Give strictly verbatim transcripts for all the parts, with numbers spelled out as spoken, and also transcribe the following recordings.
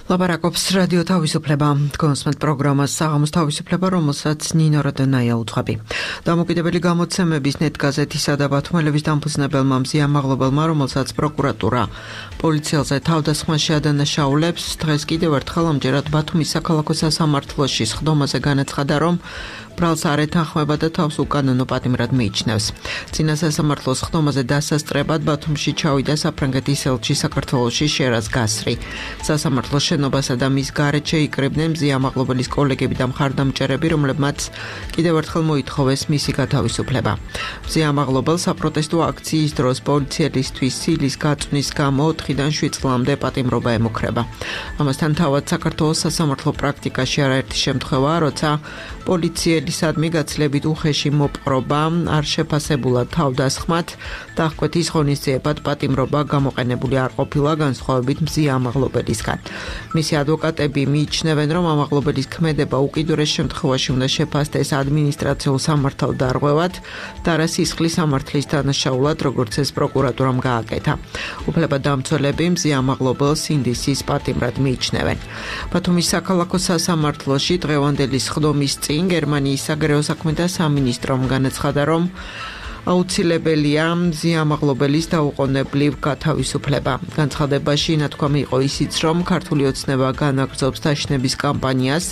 ლაპარაკობს რადიო თავისუფლება, კონსმენტ პროგრამას საღამოს თავისუფლება, რომელსაც ნინო როდენაია უძღვები. დამოუკიდებელი გამოცემების ნეტგაზეთისა და ბათუმელების დამფუძნებელმა მზია მაღლობელმა, რომელსაც პროკურატურა პოლიციელზე თავდასხმას შეადანაშაულებს, დღეს კიდევ ერთხელ ამჯერად ბათუმის საქალაქო სასამართლოში სხდომაზე განაცხადა, რომ ბრალს არ ეთანხმება და თავს უკანონო პატიმრად მიიჩნევს. წინა სასამართლოს სხდომაზე დასასწრებად ბათუმში ჩავიდა საფრანგეთის ელჩი საქართველოში შერაზ გასრი. სასამართლოს შენობასა და მის გარეთ შეიკრიბნენ მზია მაღლობელის კოლეგები და მხარდამჭერები, რომლებმაც კიდევ ერთხელ მოითხოვეს მისი გათავისუფლება. მზია მაღლობელს საპროტესტო აქციის დროს პოლიციელისთვის სილის გაწვნის გამო ოთხიდან შვიდ წლამდე პატიმრობა ემუქრება. ამასთან თავად საქართველოს სასამართლო პრაქტიკაში არაერთი შემთხვევაა, როცა პოლიციელისადმი გაცილებით უხეში მოპყრობა არ შეფასებულა თავდასხმად, დახკვეთის ღონისძიებად პატიმრობა გამოყენებული არ ყოფილა განსხვავებით მზია მაღლობელისგან. მისი ადვოკატები მიიჩნევენ, რომ ამაღლობელის ქმედება უკიდურეს შემთხვევაში უნდა შეფასდეს ადმინისტრაციულ სამართალ დარღვევად და რა სისხლის სამართლის დანაშაულად, როგორც ეს პროკურატურამ გააკეთა. უფლებადამცველები მზია მაღლობელს ინდისის პატიმრად მიიჩნევენ. ბათუმის საქალაქო სასამართლოში დღევანდელი სხდომის წინ გერმანიის საგარეო საქმეთა სამინისტრომ განაცხადა, რომ აუცილებელია მზია მაღლობელის დაუყოვნებლივ გათავისუფლება. განცხადებაში ნათქვამი იყო ისიც, რომ ქართული ოცნება განაგრძობს დაშინების კამპანიას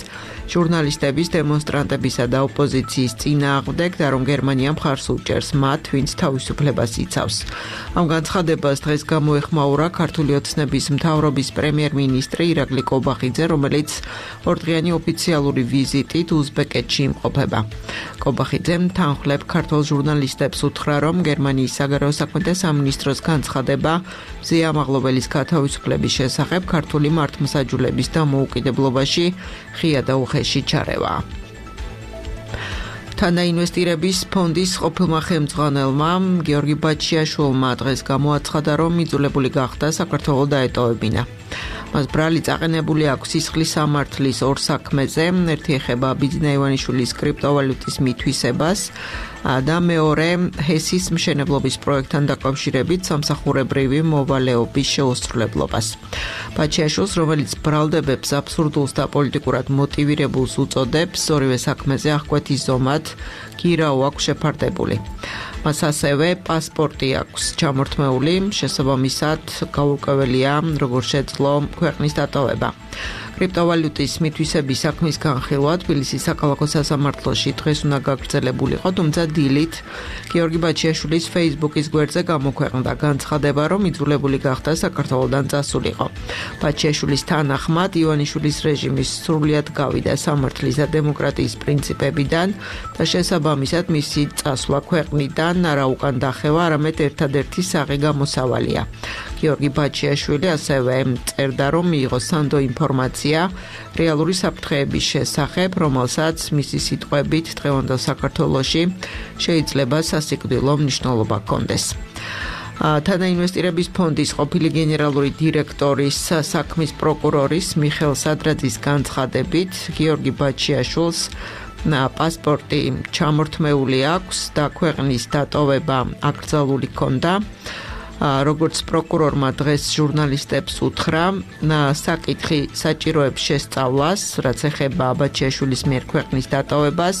ჟურნალისტების, დემონსტრანტებისა და ოპოზიციის წინააღმდეგ და რომ გერმანია მხარს უჭერს მათ, ვინც თავისუფლებას იცავს. ამ განცხადებას დღეს გამოეხმაურა ქართული ოცნების მთავრობის პრემიერ-მინისტრი ირაკლი კობახიძე, რომელიც ორდღიანი ოფიციალური ვიზიტით უზბეკეთში იმყოფება. კობახიძემ თანხლებ ქართულ ჟურნალისტებს უთხრა, რომ გერმანიის საგარეო საქმეთა სამინისტროს განცხადება მზია მაღლობელის გათავისუფლების შესახებ ქართული მართლმსაჯულების დამოუკიდებლობაში ღია და უხეში ჩარევა. თანაინვესტირების ფონდის ყოფილმა ხელმძღვანელმა გიორგი ბაჩიაშვილმა დღეს გამოაცხადა, რომ იძულებული გახდა საქართველოს დაეტოვებინა. მას ბრალი წაყენებული აქვს სისხლის სამართლის ორ საქმეზე, ერთი ეხება ბიძინა ივანიშვილის კრიპტოვალუტის მითვისებას და მეორე ჰესის მშენებლობის პროექტთან დაკავშირებით სამსახურებრივი მოვალეობის შეუსრულებლობას. ბაჩიაშვილს, რომელიც ბრალდებებს აბსურდულს და პოლიტიკურად მოტივირებულს უწოდებს, ორივე საქმეზე აღკვეთის ზომად გირაო აქვს შეფარდებული. მას ასევე პასპორტი აქვს ჩამორთმეული, შესაბამისად გაურკვეველია, როგორ შეძლო ქვეყნის დატოვება. კრიპტოვალუტის მითვისების საქმის განხილვა თბილისის საქალაქო სასამართლოში დღეს უნდა გაგრძელებულიყო, თუმცა დილით გიორგი ბაჩიაშვილის Facebook-ის გვერდზე გამოქვეყნდა განცხადება, რომ იძულებული გახდა საქართველოდან წასულიყო. ბაჩიაშვილის თანახმად ივანიშვილის რეჟიმის სრულიად გავიდა სამართლის და დემოკრატიის პრინციპებიდან და შესაბამისად მისი წასვლა ქვეყნიდან არა უკან დახევა, არამედ ერთადერთი საღი გამოსავალია. გიორგი ბაჩიაშვილი ასევე წერდა, რომ მიიღო სანდო ინფორმაცია რეალური საფრთხეების შესახებ, რომელსაც მისი სიტყვებით დღევანდელ საქართველოში შეიძლება სასიკვდილო მნიშვნელობა ჰქონდეს. თანაინვესტირების ფონდის ყოფილი გენერალური დირექტორის საქმის პროკურორის მიხეილ სადრაძის განცხადებით, გიორგი ბაჩიაშვილს პასპორტი ჩამორთმეული აქვს და ქვეყნის დატოვება აკრძალული ჰქონდა. როგორც პროკურორმა დღეს ჟურნალისტებს უთხრა, საკითხი საჭიროებს შესწავლას, რაც ეხება ბაჩიაშვილის მიერ ქვეყნის დატოვებას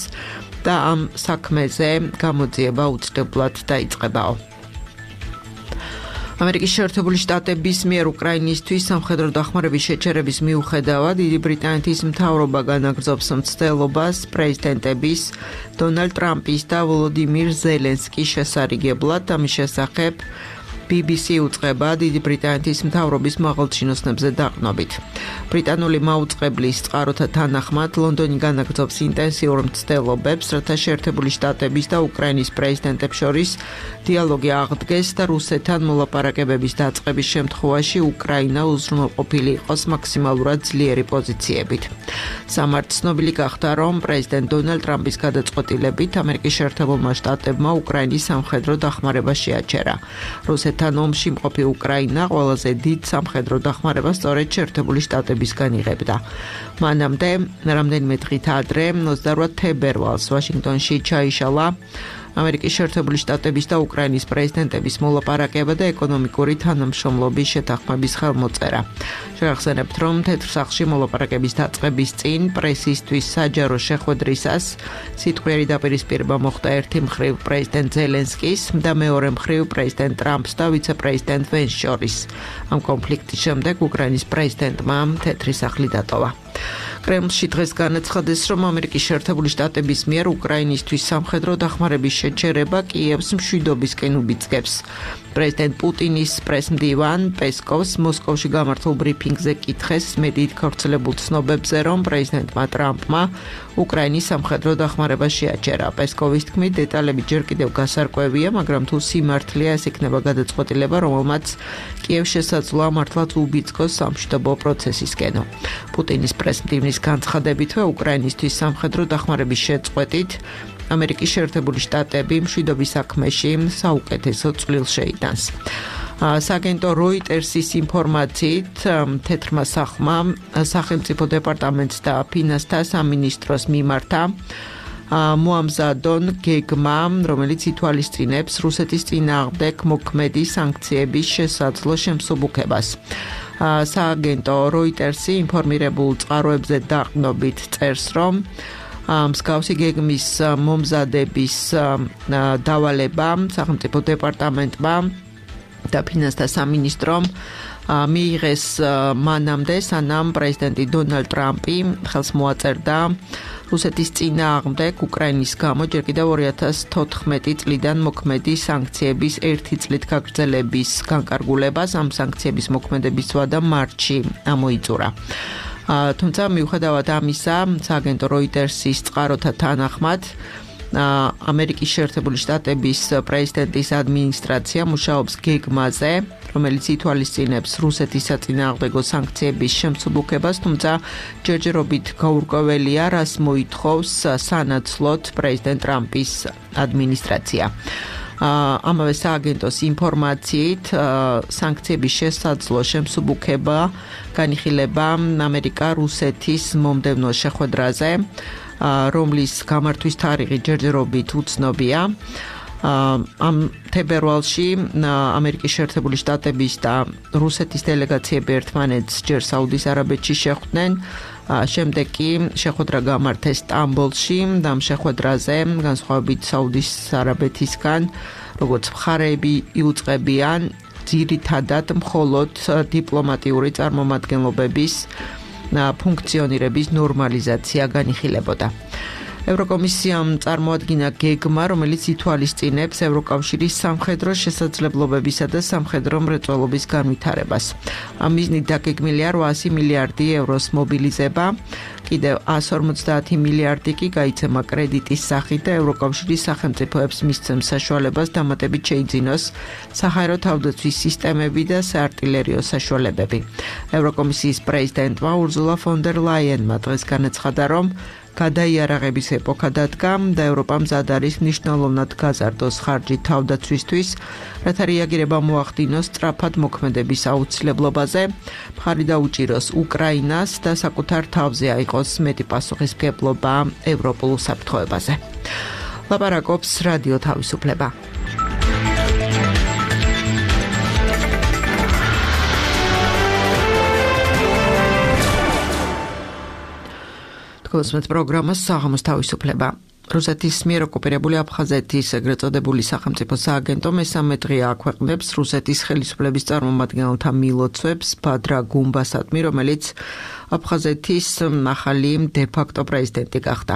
და ამ საქმეზე გამოძიება უცვლელად დაიწყებაო. ამერიკის შეერთებული შტატების მიერ უკრაინისთვის სამხედრო დახმარების შეჩერების მიუხედავად, დიდი ბრიტანეთის მთავრობა განაგრძობს მცდელობას პრეზიდენტების დონალდ ტრამპის და ვოლოდიმირ ზელენსკის შესარიგებლად, ამის შესახებ ბი ბი სი უწყება დიდი ბრიტანეთის მთავრობის მაღალჩინოსნებზე დაყრდნობით. ბრიტანული მაუწყებლის წყაროთა თანახმად, ლონდონი განაგრძობს ინტენსიურ მცდელობებს, რათა შეერთებული შტატების და უკრაინის პრეზიდენტებს შორის დიალოგი აღდგეს და რუსეთთან მოლაპარაკებების დაწყების შემთხვევაში უკრაინა უზრუნველყოფილი იყოს მაქსიმალურად ძლიერი პოზიციებით. სამართ ცნობილი გახდა, რომ პრეზიდენტ დონალდ ტრამპის გადაწყვეტილებით ამერიკის შეერთებულმა შტატებმა უკრაინის სამხედრო დახმარება შეაჩერა. რუსეთთან ომში მყოფი უკრაინა ყველაზე დიდ სამხედრო დახმარებას სწორედ შეერთებული შტატებისგან იღებდა. მანამდე რამდენიმე დღით ადრე, ოცდაოთხ თებერვალს ვაშინგტონში ჩაიშალა ამერიკის შეერთებული შტატების და უკრაინის პრეზიდენტების მოლაპარაკება და ეკონომიკური თანამშრომლობის შეთანხმების ხელმოწერა. შევახსენებთ, რომ თეთრ სახლში მოლაპარაკების დაწყების წინ პრესისთვის საჯარო შეხვედრისას სიტყვიერი დაპირისპირება მოხდა ერთი მხრივ პრეზიდენტ ზელენსკის და მეორე მხრივ პრეზიდენტ ტრამპს და ვიცე-პრეზიდენტ ვენს შორის. ამ კონფლიქტის შემდეგ უკრაინის პრეზიდენტმა თეთრი სახლი დატოვა. კრემლში დღეს განაცხადეს, რომ ამერიკის შეერთებული შტატების მიერ უკრაინისთვის სამხედრო დახმარების შეჩერება კიევს მშვიდობისკენ უბიძგებს. პრეზიდენტ პუტინის პრესმდივან პესკოვს მოსკოვში გამართულ ბრიფინგზე კითხეს მედიით გავრცელებულ ცნობებზე, რომ პრეზიდენტმა ტრამპმა უკრაინის სამხედრო დახმარება შეაჩერა. პესკოვის თქმით, დეტალები ჯერ კიდევ გასარკვევია, მაგრამ თუ სიმართლეა, ეს იქნება გადაწყვეტილება, რომელმაც კიევს შესაძლოა მართლაც უბიძგოს სამშვიდობო პროცესისკენო. პუტინის პრესმდივნის განცხადებითვე უკრაინისთვის სამხედრო დახმარების შეწყვეტით ამერიკის შეერთებული შტატები მშვიდობის საქმეში საუკეთესო წვლილს შეიტანს. სააგენტო როიტერსის ინფორმაციით თეთრმა სახლმა სახელმწიფო დეპარტამენტს და ფინანსთა სამინისტროს მიმართა მოამზადონ გეგმა, რომელიც ითვალისწინებს რუსეთის წინააღმდეგ მოქმედი სანქციების შესაძლო შემსუბუქებას. სააგენტო როიტერსი ინფორმირებულ წყაროებზე დაყრდნობით წერს, რომ მსგავსი გეგმის მომზადების დავალება სახელმწიფო დეპარტამენტმა და ფინანსთა სამინისტრომ მიიღეს მანამდე, სანამ პრეზიდენტი დონალდ ტრამპი ხელს მოაწერდა რუსეთის წინააღმდეგ უკრაინის გამო ჯერ კიდევ ორი ათას თოთხმეტი წლიდან მოქმედი სანქციების ერთი წლით გაგრძელების განკარგულებას. ამ სანქციების მოქმედების ვადა მარტში ამოიწურა. თუმცა მიუხედავად ამისა, სააგენტო როიტერსის წყაროთა თანახმად ამერიკის შეერთებული შტატების პრეზიდენტის ადმინისტრაცია მუშაობს გეგმაზე, რომელიც ითვალისწინებს რუსეთის საწინააღმდეგო სანქციების შემსუბუქებას, თუმცა ჯერჯერობით გაურკვეველია, რას მოითხოვს სანაცვლოდ პრეზიდენტ ტრამპის ადმინისტრაცია. ამავე სააგენტოს ინფორმაციით, სანქციების შესაძლო შემსუბუქება განიხილება ამერიკა-რუსეთის მომდევნო შეხვედრაზე, რომლის გამართვის თარიღი ჯერჯერობით უცნობია. ამ თებერვალში ამერიკის შეერთებული შტატების და რუსეთის დელეგაციები ერთმანეთს ჯერ საუდის არაბეთში შეხვდნენ, შემდეგ კი შეხვედრა გამართეს სტამბოლში და ამ შეხვედრაზე განსხვავებით საუდის არაბეთისგან, როგორც მხარეები იუწყებიან ძირითადად მხოლოდ დიპლომატიური წარმომადგენლობების ფუნქციონირების ნორმალიზაცია განიხილებოდა. ევროკომისიამ წარმოადგინა გეგმა, რომელიც ითვალისწინებს ევროკავშირის სამხედრო შესაძლებლობებისა და სამხედრო მრეწველობის განვითარებას. ამ მიზნით დაგეგმილია რვაასი მილიარდი ევროს მობილიზება, კიდევ εκατს ორმოცდაათი მილიარდი კი გაიცემა კრედიტის სახით და ევროკავშირის სახელმწიფოებს მისცემს საშუალებას დამატებით შეიძინოს საჰაერო თავდაცვის სისტემები და საარტილერიო საშუალებები. ევროკომისიის პრეზიდენტმა ურზულა ფონ დერ ლაიენმა დღეს განაცხადა, რომ გადაიარაღების ეპოქა დადგა და ევროპა მზად არის მნიშვნელოვნად გაზარდოს ხარჯი თავდაცვისთვის, რათა რეაგირება მოახდინოს სწრაფად მოქმედების აუცილებლობაზე, მხარი დაუჭიროს უკრაინას და საკუთარ თავზე აიღოს მეტი პასუხისმგებლობა ევროპულ უსაფრთხოებაზე. ლაპარაკობს რადიო თავისუფლება. კოსმეთ პროგრამას საღამოს თავისუფლება. რუსეთის მიერ ოკუპირებული აფხაზეთის ეგრეთ წოდებული სახელმწიფო სააგენტო მესამე დღეა აქვეყნებს რუსეთის ხელისუფლების წარმომადგენელთა მილოცვებს ბადრა გუმბასადმი, რომელიც აფხაზეთის ახალი დე-ფაქტო პრეზიდენტი გახდა.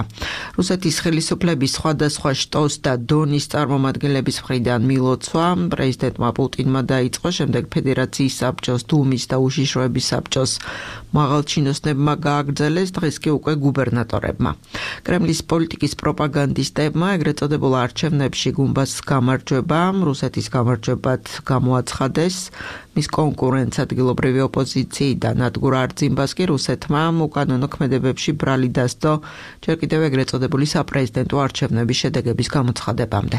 რუსეთის ხელისუფლების სხვადასხვა შტოს და დონის წარმომადგენლების მხრიდან მილოცვა პრეზიდენტმა პუტინმა დაიწყო, შემდეგ ფედერაციის საბჭოს, დუმის და უშიშროების საბჭოს მაღალჩინოსნებმა გააგრძელეს, დღეს კი უკვე გუბერნატორებმა. კრემლის პოლიტიკის პროპაგანდისტებმა ეგრეთ წოდებულ არჩევნებში გუმბასს გამარჯვება, რუსეთის გამარჯვებად გამოაცხადეს, მის კონკურენტს ადგილობრივი ოპოზიციიდან ადგურ არძიმბას კი რუსეთმა უკანონო ქმედებებში ბრალი დასდო ჯერ კიდევ ეგრეთ წოდებული საპრეზიდენტო არჩევნების შედეგების გამოცხადებამდე.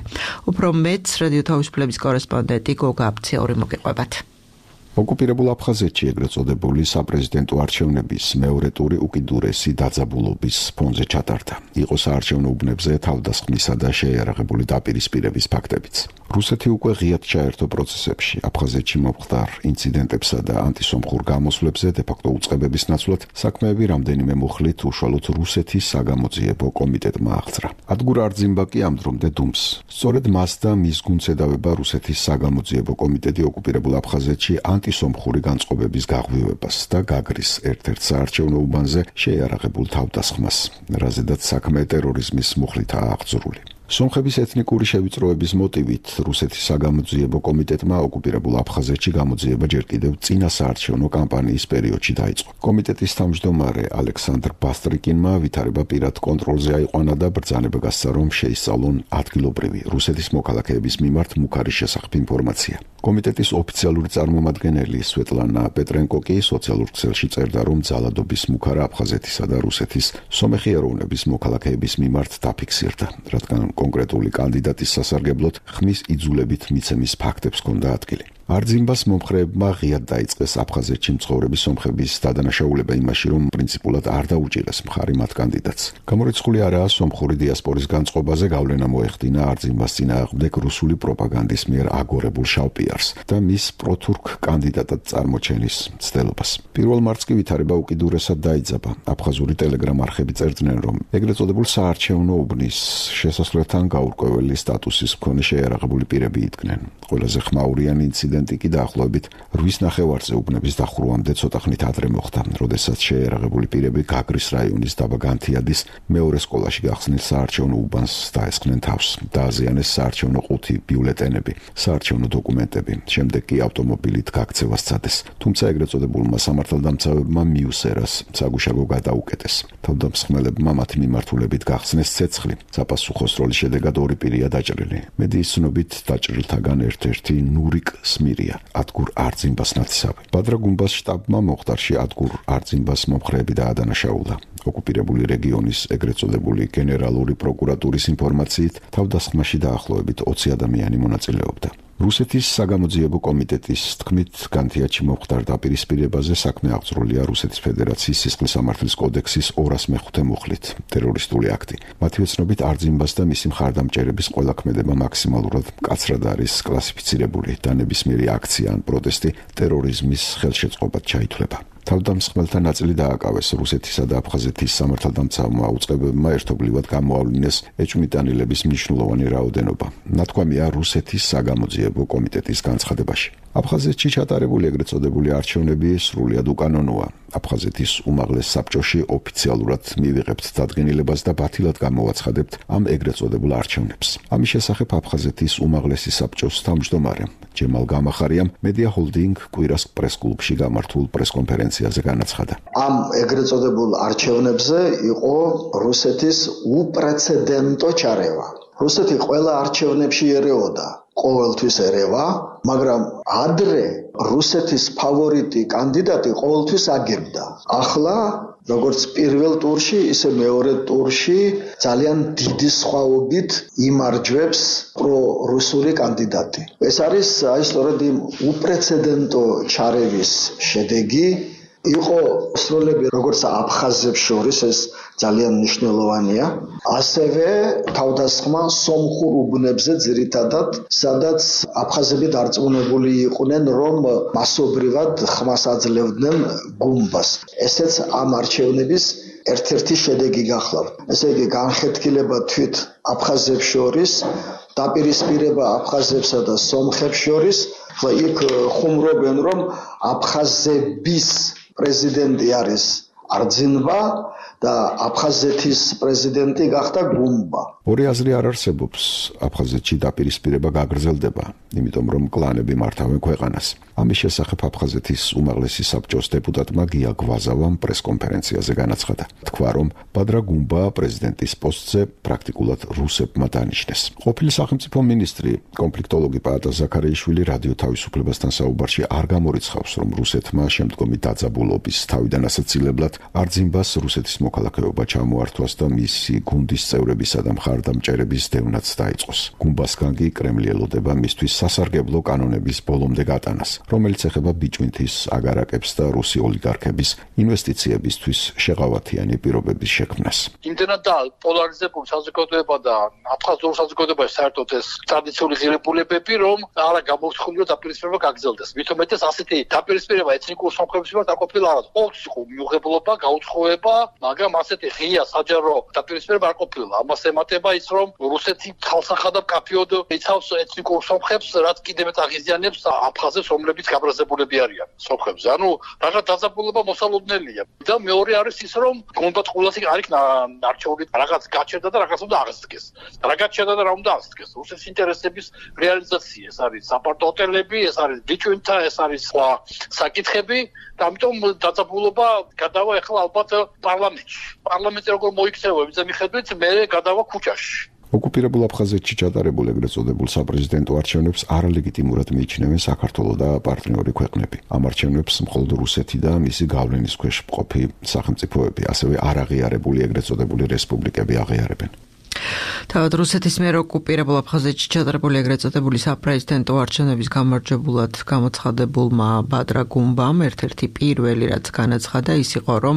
უფრო მეტს რადიო თავისუფლების კორესპონდენტი გოგა აფციური მოგიყვებათ. ოკუპირებულ აფხაზეთში ეგრეთ წოდებული საპრეზიდენტო არჩევნების მეორე ტური უკიდურესი დაძაბულობის ფონზე ჩატარდა. იყო საარჩევნო უბნებზე თავდასხმისა და შეიარაღებული დაპირისპირების ფაქტებიც. რუსეთი უკვე ღიად ჩაერთო პროცესებში, აფხაზეთში მომხდარ ინციდენტებსა და ანტისომხურ გამოსვლებზე დე-ფაქტო უწყებების ნაცვლად საქმეები რამდენიმე მუხლით უშუალოდ რუსეთის საგამოძიებო კომიტეტმა აღძრა. ადგურ არძიმბა კი ამდრომდე დუმს. სწორედ მას და მის გუნცედავება რუსეთის საგამოძიებო კომიტეტი ოკუპირებულ აფხაზეთში ანტისომხური განწყობების გაღვივებას და გაგრის ერთ-ერთ საარჩევნო უბანზე შეიარაღებულ თავდასხმას, რაზედაც საქმე ტერორიზმის მუხლითაა აღძრული. სომხების ეთნიკური შევიწროების მოტივით რუსეთის საგამოძიებო კომიტეტმა ოკუპირებულ აფხაზეთში გამოძიება ჯერ კიდევ წინა საარჩევნო კამპანიის პერიოდში დაიწყო. კომიტეტის თავმჯდომარე ალექსანდრ ბასტრიკინმა ვითარება პირად კონტროლზე აიყვანა და ბრძანება გასცა, რომ შეისწავლონ ადგილობრივი რუსეთის მოქალაქეების მიმართ მუქარის შესახებ ინფორმაცია. კომიტეტის ოფიციალური წარმომადგენელი სვეტლანა პეტრენკო კი სოციალურ ქსელში წერდა, რომ ძალადობის მუქარა აფხაზეთისა და რუსეთის სომეხი ეროვნების მოქალაქეების მიმართ დაფიქსირდა, რადგან კონკრეტული კანდიდატის სასარგებლოდ ხმის იძულებით მიცემის ფაქტებს ჰქონდა ადგილი. არძიმბას მომხრეებმა ღიად დაიწყეს აფხაზეთში მცხოვრები სომხების დადანაშაულება იმაში, რომ პრინციპულად არ დაუჭირეს მხარი მათ კანდიდატს. გამორიცხული არაა სომხური დიასპორის განწყობაზე გავლენა მოეხდინა არძიმბას წინააღმდეგ რუსული პროპაგანდის მიერ აგორებულ შავპიარს და მის პროთურქ კანდიდატად წარმოჩენის მცდელობას. პირველ მარტს კი ვითარება უკიდურესად დაიძაბა. აფხაზური ტელეგრამ არხები წერდნენ, რომ ეგრეთ წოდებულ საარჩევნო უბნის შესასვლელთან გაურკვეველი სტატუსის მქონე შეიარაღებული პირები იდგნენ. ყველაზე ხმაურიანი ინციდენტი კი დაახლოებით რვის ნახევარზე უბნების დახურვამდე ცოტა ხნით ადრე მოხდა, როდესაც შეიარაღებული პირები გაგრის რაიონის დაბა განთიადის მეორე სკოლაში გახსნილ საარჩევნო უბანს დაესხნენ თავს. დააზიანეს საარჩევნო ყუთი, ბიულეტენები, საარჩევნო დოკუმენტები, შემდეგ კი ავტომობილით გაქცევა სცადეს. თუმცა ეგრეთ წოდებულმა სამართალდამცავებმა მიუსერას საგუშაგო გადაუკეტეს. თავდამსხმელებმა მათი მიმართულებით გახსნეს ცეცხლი. საპასუხოს როლის შედეგად ორი პირია დაჭრილი. მედიის ცნობით დაჭრილთაგან ერთ-ერთი ნურიკ სმირია, ადგურ არძიმბას ნათესავი. ბადრა გუმბას შტაბმა მომხდარში ადგურ არძიმბას მომხრეები დაადანაშაულა. ოკუპირებული რეგიონის ეგრეთ წოდებული გენერალური პროკურატურის ინფორმაციით თავდასხმაში დაახლოებით ოცი ადამიანი მონაწილეობდა. რუსეთის საგამოძიებო კომიტეტის თქმით, განთიადში მომხდარ დაპირისპირებაზე საქმე აღძრულია რუსეთის ფედერაციის სისხლის სამართლის კოდექსის ორას მეხუთე მუხლით, ტერორისტული აქტი. მათივე ცნობით არძიმბას და მისი მხარდამჭერების ყველა ქმედება მაქსიმალურად მკაცრად არის კლასიფიცირებული და ნებისმიერი აქცია ან პროტესტი ტერორიზმის ხელშეწყობად ჩაითვლება. თავდამსხმელთა ნაწილი დააკავეს რუსეთისა და აფხაზეთის სამართალდამცავმა უწყებებმა ერთობლივად გამოავლინეს ეჭვმიტანილების მნიშვნელოვანი რაოდენობა. ნათქვამია რუსეთის საგამოძიებო კომიტეტის განცხადებაში. აფხაზეთში ჩატარებული ეგრეთ წოდებული არჩევნები სრულიად უკანონოა. აფხაზეთის უმაღლეს საბჭოში ოფიციალურად მივიღებთ დადგენილებას და ბათილად გამოვაცხადებთ ამ ეგრეთ წოდებულ არჩევნებს. ამის შესახებ აფხაზეთის უმაღლესი საბჭოს თავმჯდომარე ჯემალ გამახარიამ მედია ჰოლდინგ კვირას პრესკლუბში გამართულ პრესკონფერენციაზე განაცხადა. ამ ეგრეთ წოდებულ არჩევნებზე იყო რუსეთის უპრეცედენტო ჩარევა. რუსეთი ყველა არჩევნებში ერეოდა. ყოველთვის ერევა, მაგრამ ადრე რუსეთის ფავორიტი კანდიდატი ყოველთვის აგებდა. ახლა როგორც პირველ ტურში, ისე მეორე ტურში ძალიან დიდი სხვაობით იმარჯვებს პრო-რუსული კანდიდატი. ეს არის აი სწორედ იმ უპრეცედენტო ჩარევის შედეგი. იყო სროლები როგორც აფხაზებს შორის, ეს ძალიან მნიშვნელოვანია. ასევე თავდასხმა სომხურ უბნებზე ძირითადად, სადაც აფხაზები დარწმუნებული იყვნენ, რომ მასობრივად ხმას აძლევდნენ გუმბას. ესეც ამ არჩევნების ერთ-ერთი შედეგი გახლავთ. ესე იგი, განხეთქილება თვით აფხაზებს შორის, დაპირისპირება აფხაზებსა და სომხებს შორის, ხლა იქ ხუმრობენ, რომ აფხაზების პრეზიდენტი არის არძიმბა და აფხაზეთის პრეზიდენტი გახდა გუმბა. ორი აზრი არ არსებობს. აფხაზეთში დაპირისპირება გაგრძელდება, იმიტომ რომ კლანები მართავენ ქვეყანას. ამის შესახებ აფხაზეთის უმაღლესი საბჭოს დეპუტატმა გია გვაზავამ პრესკონფერენციაზე განაცხადა. თქვა, რომ ბადრა გუმბა პრეზიდენტის პოსტზე პრაქტიკულად რუსებმა დანიშნეს. ყოფილი სახელმწიფო მინისტრი, კონფლიქტოლოგი პაატა ზაქარიაშვილი რადიო თავისუფლებასთან საუბარში არ გამორიცხავს, რომ რუსეთმა შემდგომი დაძაბულობის თავიდან ასაცილებლად არძიმბას რუსეთის მოქალაქეობა ჩამოართვას და მისი გუნდის წევრებისა და მხარდამჭერების დევნაც დაიწყოს. გუმბასგან კი კრემლი ელოდება მისთვის სასარგებლო კანონების ბოლომდე გატანას, რომელიც ეხება ბიჭვინთის აგარაკებს და რუსი ოლიგარქების ინვესტიციებისთვის შეღავათიანი პირობების შექმნას. იმდენად და პოლარიზებული საზოგადოება და აფხაზურ საზოგადოებაში საერთოდ ეს ტრადიციული ღირებულებები, რომ არა გამოცხული რომ დაპირისპირება გაგრძელდეს. მით უმეტეს ასეთი დაპირისპირება ეთნიკურ სამხრეთის მიმართ არ ყოფილა არა. ყოველთვის იყო მიუღებლობა, გაუცხოება, მაგრამ ასეთი ღია საჯარო დაპირისპირება არ ყოფილა. ამას ემატება ის, რომ რუსეთი ხალხსახად და კაფეოდ იცავს ეთნიკურ სომხებს, რაც კიდევ მეტ აღიზიანებს აფხაზებს, რომლებიც გაბრაზებულები არიან სომხებზე. ანუ რაღაც დაძაბულობა მოსალოდნელია. და მეორე არის ის, რომ გონდათ ყოველასი არ იქნა არჩეული რაღაც გაჩერდა და რაღაც უნდა აღსდგეს. რა გაჩერდა და რა უნდა აღსდგეს? რუსეთის ინტერესების რეალიზაცია, ეს არის საპარტო ჰოტელები, ეს არის ბიჭვინთა, ეს არის სხვა საკითხები და ამიტომ დაძაბულობა გადავა ახლა ალბათ პარლამენტში. პარლამენტი როგორ მოიქცევა იმის მიხედვით, მე გადავა ქუჩაში. ოკუპირებულ აფხაზეთში ჩატარებულ ეგრეთ წოდებულ საპრეზიდენტო არჩევნებს არალეგიტიმურად მიიჩნევენ საქართველო და პარტნიორი ქვეყნები. ამ არჩევნებს მხოლოდ რუსეთი და მისი გავლენის ქვეშ მყოფი სახელმწიფოები, ასევე არაღიარებული ეგრეთ წოდებული რესპუბლიკები აღიარებენ. თავად რუსეთის მიერ ოკუპირებულ აფხაზეთში ჩატარებული ეგრეთ წოდებული საპრეზიდენტო არჩევნების გამარჯვებულად გამოცხადებულმა ბადრა გუმბამ ერთ-ერთი პირველი რაც განაცხადა ის იყო, რომ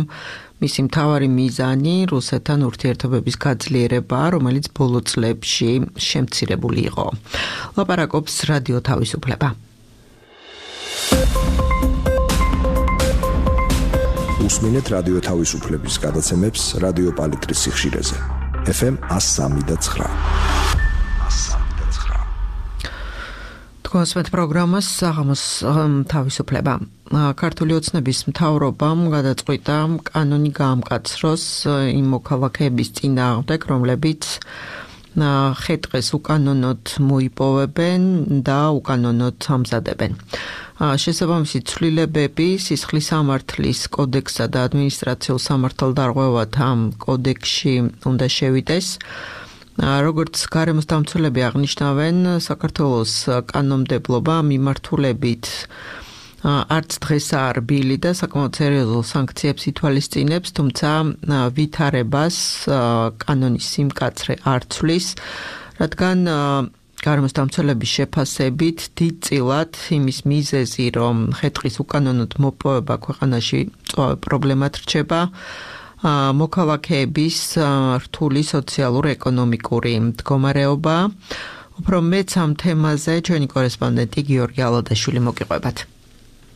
მისი მთავარი მიზანი რუსეთთან ურთიერთობების გაძლიერება, რომელიც ბოლო წლებში შემცირებული იყო. ლაპარაკობს რადიო თავისუფლება. უსმინეთ რადიო თავისუფლების გადაცემებს რადიო პალიტრის სიხშირეზე. ეფ ემ one oh three point nine. თქვენს პროგრამას საღამოს თავისუფლება. ქართული ოცნების მთავრობამ გადაწყვიტა კანონი გაამკაცროს იმ მოქალაქეების წინააღმდეგ, რომლებიც ხე-ტყეს უკანონოდ მოიპოვებენ და უკანონოდ ამზადებენ. შესაბამისი ცვლილებები სისხლის სამართლის კოდექსსა და ადმინისტრაციულ სამართალდარღვევათ ამ კოდექსში უნდა შევიდეს. როგორც გარემოს დამცველები აღნიშნავენ, საქართველოს კანონმდებლობა მიმართულებით არც დღესაა რბილი და საკმაოდ სერიოზულ სანქციებს ითვალისწინებს, თუმცა ვითარებას კანონის სიმკაცრე არ ცვლის, რადგან გარემოს დამცველების შეფასებით დიდწილად იმის მიზეზი, რომ ხე-ტყის უკანონოდ მოპოვება ქვეყანაში პრობლემად რჩება, მოქალაქეების რთული სოციალურ-ეკონომიკური მდგომარეობა. უფრო მეც ამ თემაზე ჩვენი კორესპონდენტი გიორგი ალოდაშვილი მოგიყვებათ.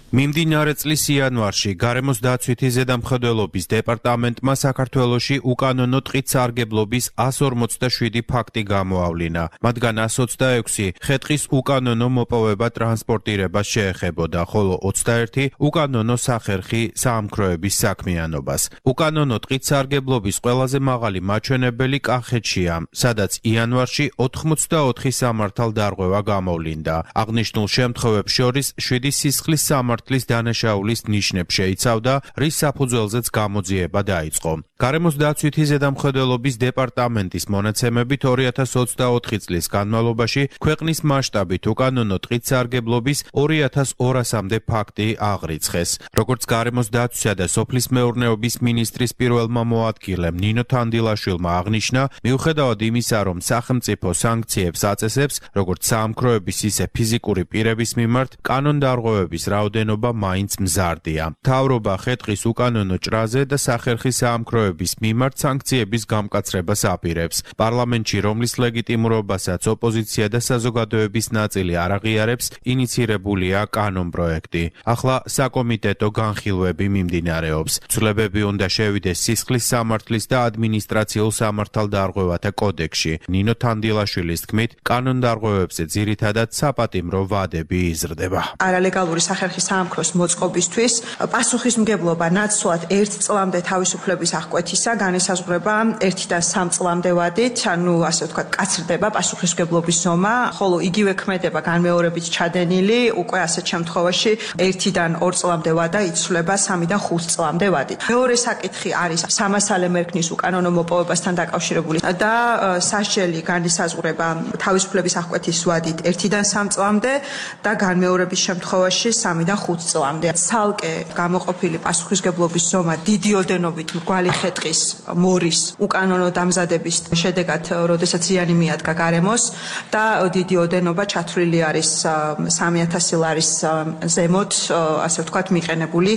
მიმდინარე წლის იანვარში გარემოს დაცვითი ზედამხედველობის დეპარტამენტმა საქართველოში უკანონო ტყით სარგებლობის one forty-seven ფაქტი გამოავლინა. მათგან one twenty-six ხე-ტყის უკანონო მოპოვება ტრანსპორტირებას შეეხებოდა, ხოლო twenty-one უკანონო სახერხი საამქროების საქმიანობას. უკანონო ტყით სარგებლობის ყველაზე მაღალი მაჩვენებელი კახეთშია, სადაც იანვარში ninety-four სამართალდარღვევა გამოვლინდა. აღნიშნულ შემთხვევებს შორის seven სისხლის სამართალდარღვევა მართლის დანაშაულის ნიშნებს შეიცავდა, რის საფუძველზეც გამოძიება დაიწყო. გარემოს დაცვითი ზედამხედველობის დეპარტამენტის მონაცემებით two thousand twenty-four წლის განმავლობაში ქვეყნის მასშტაბით უკანონო ტყით სარგებლობის two thousand two hundred-მდე ფაქტი აღრიცხეს. როგორც გარემოს დაცვისა და სოფლის მეურნეობის მინისტრის პირველმა მოადგილემ ნინო თანდილაშვილმა აღნიშნა, მიუხედავად იმისა, რომ სახელმწიფო სანქციებს აწესებს, როგორც საამქროების, ისე ფიზიკური პირების მიმართ, კანონდარღვევების რაოდენობა მაინც მზარდია. მთავრობა ხე-ტყის უკანონო ჭრაზე და სახერხის საამქროების მიმართ სანქციების გამკაცრებას აპირებს. პარლამენტში, რომლის ლეგიტიმურობასაც ოპოზიცია და საზოგადოების ნაწილი არ აღიარებს, ინიცირებულია კანონპროექტი. ახლა საკომიტეტო განხილვები მიმდინარეობს. ცვლილებები უნდა შევიდეს სისხლის სამართლის და ადმინისტრაციულ სამართალდარღვევათა კოდექსში. ნინო თანდილაშვილის თქმით, კანონდარღვევებზე ძირითადად საპატიმრო ვადები იზრდება. არალეგალური სახერხის საამქროს მოწყობისთვის პასუხისმგებლობა ნაცვლად ერთ წლამდე თავისუფლების აღკვეთისა განისაზღვრება ერთიდან სამ წლამდე ვადით, ანუ ასე ვთქვათ, კაცრდება პასუხისმგებლობის ზომა, ხოლო იგივე ქმედება განმეორებით ჩადენილი, უკვე ასეთ შემთხვევაში ერთიდან ორ წლამდე ვადა იცვლება სამიდან ხუთ წლამდე ვადით. მეორე საკითხი არის სამასალე მერქნის უკანონო მოპოვებასთან დაკავშირებული და სასჯელი განისაზღვრება თავისუფლების აღკვეთის ვადით ერთიდან სამ წლამდე და განმეორების შემთხვევაში სამიდან ხუთ ხუთ წლამდე. ცალკე გამოყოფილი პასუხისგებლობის ზომა დიდი ოდენობით მრგვალი ხე-ტყის მორის უკანონო დამზადების შედეგად, როდესაც ზიანი მიადგა გარემოს და დიდი ოდენობა ჩათვლილი არის სამი ათასი ლარის ზემოთ, ასე ვთქვათ, მიყენებული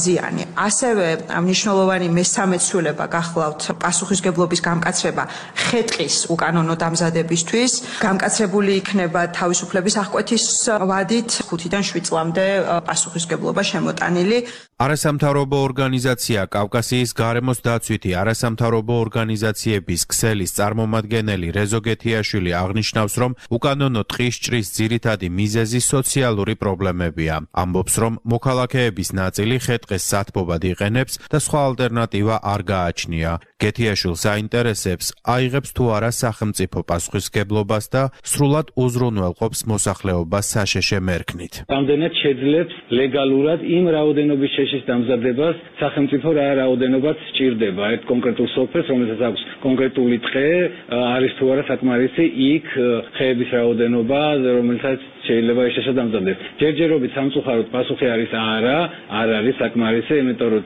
ზიანი. ასევე მნიშვნელოვანი მესამე ცვლილება გახლავთ პასუხისგებლობის გამკაცრება ხე-ტყის უკანონო დამზადებისთვის. გამკაცრებული იქნება თავისუფლების აღკვეთის ვადით ხუთიდან შვიდ წლამდე პასუხისგებლობა შემოტანილი. არასამთავრობო ორგანიზაცია კავკასიის გარემოს დაცვითი არასამთავრობო ორგანიზაციების ქსელის წარმომადგენელი რეზო გეთიაშვილი აღნიშნავს, რომ უკანონო ტყის ჭრის ძირითადი მიზეზი სოციალური პრობლემებია. ამბობს, რომ მოქალაქეების ნაწილი ხე-ტყეს სათბობად იყენებს და სხვა ალტერნატივა არ გააჩნია. გეთიაშვილს აინტერესებს, აიღებს თუ არა სახელმწიფო პასუხისგებლობას და სრულად უზრუნველყოფს მოსახლეობას საშეშე მერქნით. რამდენად შეძლებს ლეგალურად იმ რაოდენობის შეშის დამზადებას სახელმწიფო რა რაოდენობაც სჭირდება ერთ კონკრეტულ სოფელს, რომელსაც აქვს კონკრეტული ტყე, არის თუ არა საკმარისი იქ ხეების რაოდენობა, რომელსაც შეიძლება შეშა დამზადდეს. ჯერჯერობით სამწუხაროდ პასუხი არის არა, არ არის საკმარისი, იმიტომ რომ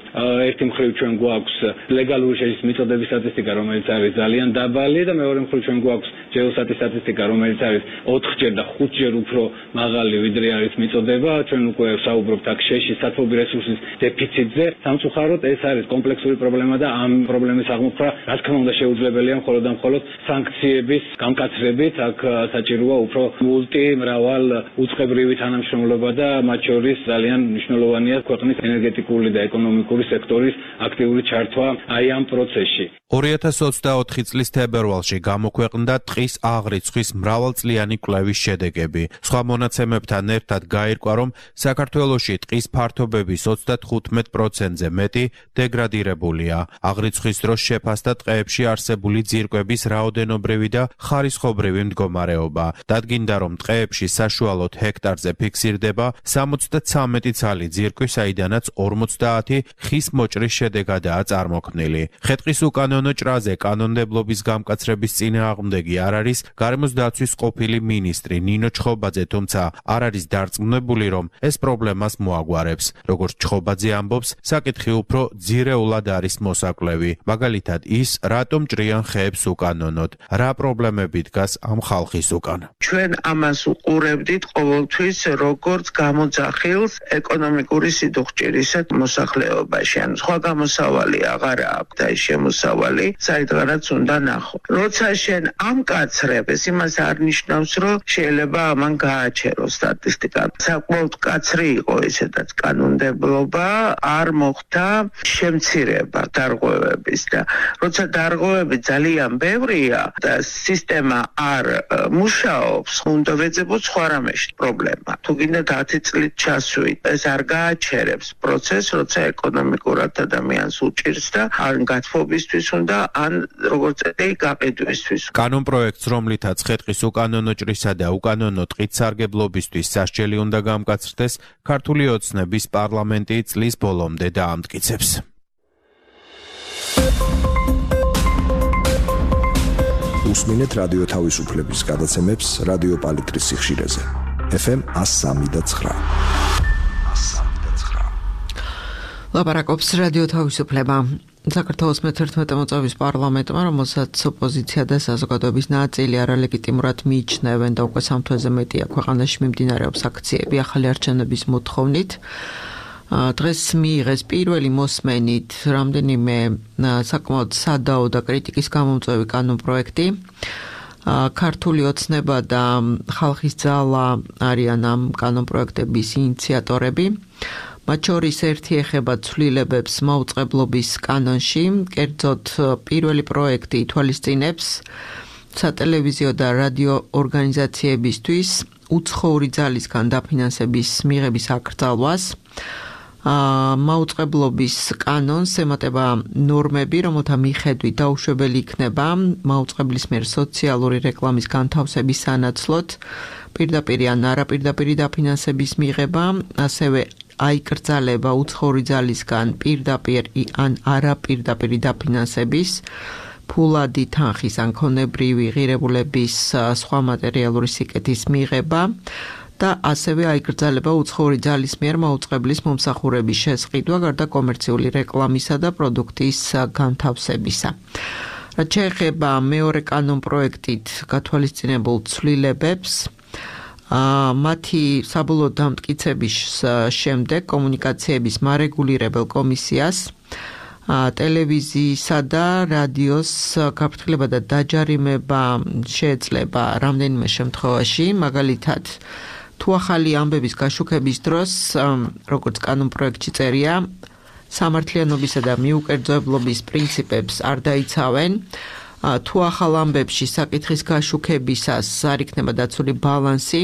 ერთი მხრივ ჩვენ გვაქვს ლეგალური შეშის მიწოდების სტატისტიკა, რომელიც არის ძალიან დაბალი და მეორე მხრივ ჩვენ გვაქვს ჯეოსატის სტატისტიკა, რომელიც არის ოთხჯერ და ხუთჯერ უფრო მაღალი, ვიდრე არის მიწოდება. ჩვენ უკვე საუბრობთ აქ შეშის სათბობი რესურსის დეფიციტზე. სამწუხაროდ ეს არის კომპლექსური პრობლემა და ამ პრობლემის აღმოფხვრა, რა თქმა უნდა, შეუძლებელია მხოლოდ და მხოლოდ სანქციების გამკაცრებით. აქ საჭიროა უფრო მულტი მრავალ უწყებრივი თანამშრომლობა და მათ შორის ძალიან მნიშვნელოვანია ქვეყნის ენერგეტიკული და ეკონომიკური სექტორის აქტიური ჩართვა აი ამ პროცესში. ორი ათას ოცდაოთხი წლის თებერვალში გამოქვეყნდა ტყის აღრიცხვის მრავალწლიანი კვლევის შედეგები. სხვა მონაცემებთან ერთად გაირკვა, რომ საქართველოში ტყის ფართობების ოცდათხუთმეტ პროცენტზე მეტი დეგრადირებულია. აღრიცხვის დროს შეფასდა ტყეებში არსებული ძირკვების რაოდენობრივი და ხარისხობრივი მდგომარეობა. დადგინდა, რომ ტყეებში საშუალოდ ჰექტარზე ფიქსირდება სამოცდაცამეტი ცალი ძირკვი, საიდანაც ორმოცდაათი ხის მოჭრის შედეგადაა წარმოქმნილი. ხე-ტყის უკანონო ჭრაზე კანონმდებლობის გამკაცრების წინააღმდეგი არ არის გარემოს დაცვის ყოფილი მინისტრი ნინო ჩხობაძე, თუმცა არ არის დარწმუნებული, რომ ეს პრობლემას მოაგვარებს. როგორც ჩხობაძე ამბობს, საკითხი უფრო ძირეულად არის მოსაკლევი. მაგალითად ის, რატომ ჭრიან ხეებს უკანონოდ, რა პრობლემები დგას ამ ხალხის უკან. ჩვენ ამას უყურებდით ყოველთვის როგორც გამოძახილს ეკონომიკური სიდუხჭირისა მოსახლეობაში. ან სხვა გამოსავალი აღარა აქვს და ის შემოსავალი საერთოდ უნდა ნახო. როცა შენ ამკაცრებ, ეს იმას არ ნიშნავს, რომ შეიძლება ამან გააჩეროს სტატისტიკა. საკმაოდ კაცრი იყო ესედაც კანონმდებლობა, არ მოხდა შემცირება დარღვევების და როცა დარღვევები ძალიან ბევრია და სისტემა არ მუშაობს, უნდა ვეძებოთ სხვა რამეში პრობლემა. თუ გინდათ ათი წლით ჩასვით, ეს არ გააჩერებს პროცესს, როცა ეკონომიკურად ადამიანს უჭირს და ან გათბობისთვის უნდა, ან როგორც წესი გაყიდვისთვის. კანონპროექტს, რომლითაც ხე-ტყის უკანონო ჭრისა და უკანონო ტყით სარგებლობისთვის სასჯელი უნდა გამკაცრდეს, ქართული ოცნების პარლამენტი წლის ბოლომდე დაამტკიცებს. უსმინეთ რადიო თავისუფლების გადაცემებს რადიო პალიტრის სიხშირეზე. ეფ ემ ას სამი და ცხრა. ლაპარაკობს რადიო თავისუფლება. საქართველოს მეთერთმეტე მოწვევის პარლამენტმა, რომელსაც ოპოზიცია და საზოგადოების ნაწილი არალეგიტიმურად მიიჩნევენ და უკვე სამ თვეზე მეტია ქვეყანაში მიმდინარეობს აქციები ახალი არჩევნების მოთხოვნით, დღეს მიიღეს პირველი მოსმენით რამდენიმე საკმაოდ სადაო და კრიტიკის გამომწვევი კანონპროექტი. ქართული ოცნება და ხალხის ძალა არიან ამ კანონპროექტების ინიციატორები. მათ შორის ერთი ეხება ცვლილებებს მაუწყებლობის კანონში, კერძოდ პირველი პროექტი ითვალისწინებს სატელევიზიო და რადიო ორგანიზაციებისთვის უცხოური ძალისგან დაფინანსების მიღების აკრძალვას. მაუწყებლობის კანონს ემატება ნორმები, რომელთა მიხედვით დაუშვებელი იქნება მაუწყებლის მიერ სოციალური რეკლამის განთავსების სანაცვლოდ პირდაპირ ან არაპირდაპირი დაფინანსების მიღება, ასევე აიკრძალება უცხოური ძალისგან პირდაპირ ან არაპირდაპირი დაფინანსების, ფულადი თანხის ან ქონებრივი ღირებულების სხვა მატერიალური სიკეთის მიღება და ასევე აიკრძალება უცხოური ძალის მიერ მაუწყებლის მომსახურების შესყიდვა გარდა კომერციული რეკლამისა და პროდუქტის განთავსებისა. რაც შეეხება მეორე კანონპროექტით გათვალისწინებულ ცვლილებებს, მათი საბოლოო დამტკიცების შემდეგ კომუნიკაციების მარეგულირებელ კომისიას ტელევიზიისა და რადიოს გაფრთხილება და დაჯარიმება შეეძლება რამდენიმე შემთხვევაში, მაგალითად, თუ ახალი ამბების გაშუქების დროს, როგორც კანონპროექტში წერია, სამართლიანობისა და მიუკერძოებლობის პრინციპებს არ დაიცავენ, თუ ახალ ამბებში საკითხის გაშუქებისას არ იქნება დაცული ბალანსი,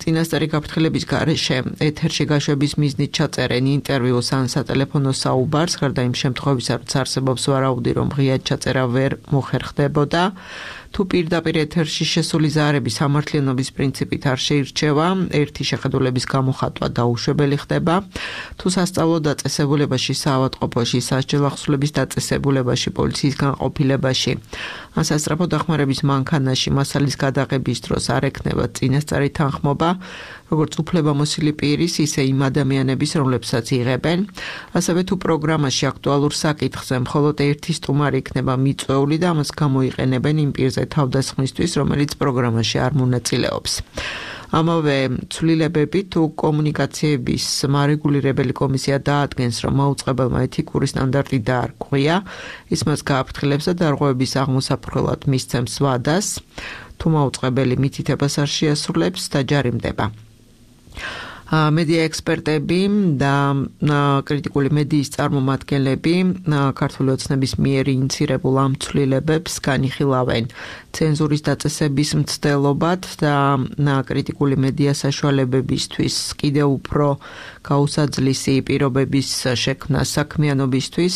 წინასწარი გაფრთხილების გარეშე ეთერში გაშვების მიზნით ჩაწერენ ინტერვიუს ან სატელეფონო საუბარს, გარდა იმ შემთხვევისა, როცა არსებობს ვარაუდი, რომ ღიად ჩაწერა ვერ მოხერხდებოდა. თუ პირდაპირ ეთერში შესული ზარები სამართლიანობის პრინციპით არ შეირჩევა, ერთი შეხედულების გამოხატვა დაუშვებელი ხდება. თუ სასწავლო დაწესებულებაში, საავადმყოფოში, სასჯელ ახსნების დაწესებულებაში, პოლიციის განყოფილებაში, ან სასწრაფო დახმარების მანქანაში მასალის გადაღების დროს არ ექნება წინასწარი თანხმობა, როგორც უფლებამოსილი პირის, ისე იმ ადამიანების, რომლებსაც იღებენ. ასევე თუ პროგრამაში აქტუალურ საკითხზე მხოლოდ ერთი სტუმარი იქნება მიწვეული და ამას გამოიყენებენ იმ პირზე თავდასხმისთვის, რომელიც პროგრამაში არ მონაწილეობს. ამავე ცვლილებები თუ კომუნიკაციების მარეგულირებელი კომისია დაადგენს, რომ მაუწყებელმა ეთიკური სტანდარტი დაარღვია, ის მას გააფრთხილებს და დარღვევების აღმოსაფრთხებლად მისცემს ვადას, თუ მაუწყებელი მითითებას არ შეასრულებს, დაჯარიმდება. მედია ექსპერტები და კრიტიკული მედიის წარმომადგენლები ქართული ოცნების მიერ ინიცირებულ ამ ცვლილებებს განიხილავენ ცენზურის დაწესების მცდელობად და კრიტიკული მედია საშუალებებისთვის კიდევ უფრო გაუსაძლისი პირობების შექმნა საქმიანობისთვის,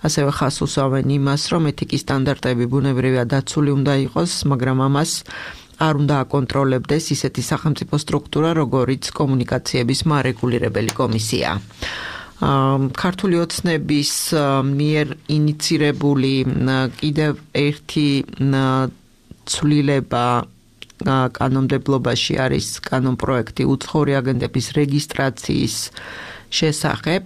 ასევე ხაზს უსვამენ იმას, რომ ეთიკის სტანდარტები ბუნებრივად დაცული უნდა იყოს, მაგრამ ამას არ უნდა აკონტროლებდეს ისეთი სახელმწიფო სტრუქტურა, როგორიც კომუნიკაციების მარეგულირებელი კომისია. ქართული ოცნების მიერ ინიცირებული კიდევ ერთი ცვლილება კანონმდებლობაში არის კანონპროექტი უცხოური აგენტების რეგისტრაციის შესახებ.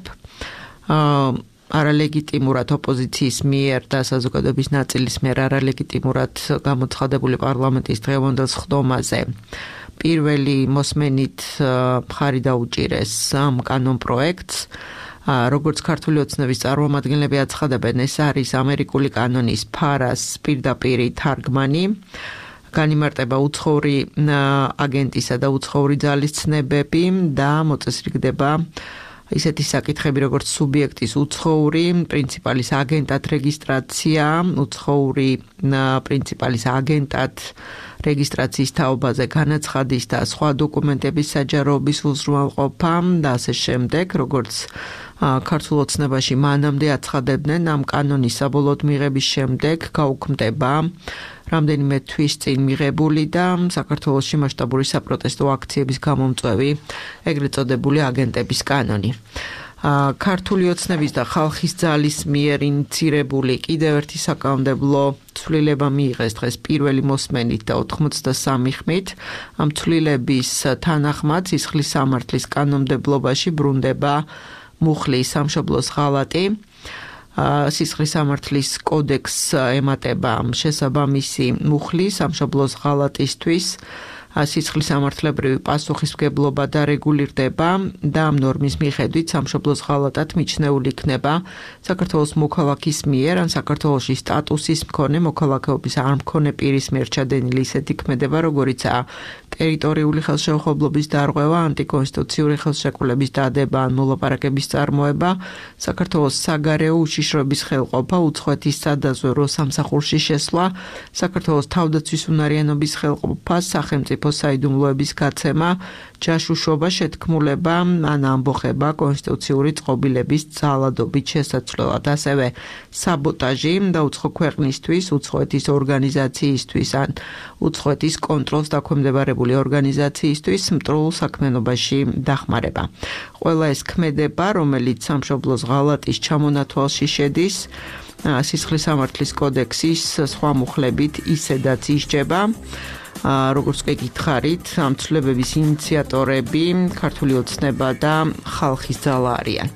არალეგიტიმურად ოპოზიციის მიერ და საზოგადოების ნაწილის მიერ არალეგიტიმურად გამოცხადებული პარლამენტის დღევანდელ სხდომაზე პირველი მოსმენით მხარი დაუჭირეს ამ კანონპროექტს. როგორც ქართული ოცნების წარმომადგენლები აცხადებენ, ეს არის ამერიკული კანონის ფარას პირდაპირი თარგმანი. განიმარტება უცხოური აგენტისა და უცხოური ძალის ცნებები და მოწესრიგდება ისეთი საკითხები, როგორც სუბიექტის უცხოური პრინციპალის აგენტად რეგისტრაცია, უცხოური პრინციპალის აგენტად რეგისტრაციის თაობაზე განაცხადის და სხვა დოკუმენტების საჯაროობის უზრუნველყოფა და ასე შემდეგ, როგორც ქართულ ოცნებაში მანამდე აცხადებდნენ, ამ კანონის საბოლოოდ მიღების შემდეგ გაუქმდება რამდენიმე თვის წინ მიღებული და საქართველოში მასშტაბური საპროტესტო აქციების გამომწვევი ეგრეთ წოდებული აგენტების კანონი. ქართული ოცნების და ხალხის ძალის მიერ ინიცირებული კიდევ ერთი საკანონმდებლო ცვლილება მიიღეს დღეს პირველი მოსმენით და ოთხმოცდასამი ხმით. ამ ცვლილების თანახმად სისხლის სამართლის კანონმდებლობაში ბრუნდება მუხლის სამშობლოს ღალატი. სისხლის სამართლის კოდექსს ემატება შესაბამისი მუხლი სამშობლოს ღალატისთვის. სისხლის სამართლებრივი პასუხისმგებლობა დარეგულირდება და ამ ნორმის მიხედვით სამშობლოს ღალატად მიჩნეული იქნება საქართველოს მოქალაქის მიერ ან საქართველოში სტატუსის მქონე მოქალაქეობის არ მქონე პირის მიერ ჩადენილი ისეთი ქმედება, როგორიცაა ტერიტორიული ხელშეუხებლობის დარღვევა, ანტიკონსტიტუციური ხელშეკრულების დადება ან მოლაპარაკების წარმოება, საქართველოს საგარეო უშიშროების ხელყოფა, უცხოეთის სადაზვერვო სამსახურში შესვლა, საქართველოს თავდაცვის უნარიანობის ხელყოფა, სახელმწიფო საიდუმლოების გაცემა, ჯაშუშობა, შეთქმულება ან ამბოხება კონსტიტუციური წყობილების ძალადობით შესაცვლელად, ასევე საბოტაჟი და უცხო ქვეყნისთვის, უცხოეთის ორგანიზაციისთვის ან უცხოეთის კონტროლს დაქვემდებარებული ორგანიზაციისთვის მტრულ საქმიანობაში დახმარება. ყველა ეს ქმედება, რომელიც სამშობლოს ღალატის ჩამონათვალში შედის, სისხლის სამართლის კოდექსის სხვა მუხლებით ისედაც ისჯება. როგორც კი გითხარით, ამ ცვლილებების ინიციატორები ქართული ოცნება და ხალხის ძალა არიან.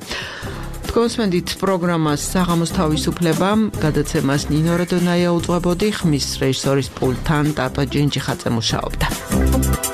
კონსმენდით პროგრამას საღამოს თავისუფლება, გადაცემას ნინო რადონაია უძღვებოდი, ხმის რეჟისორის პულტთან ტატო ჯინჯიხაძე მუშაობდა.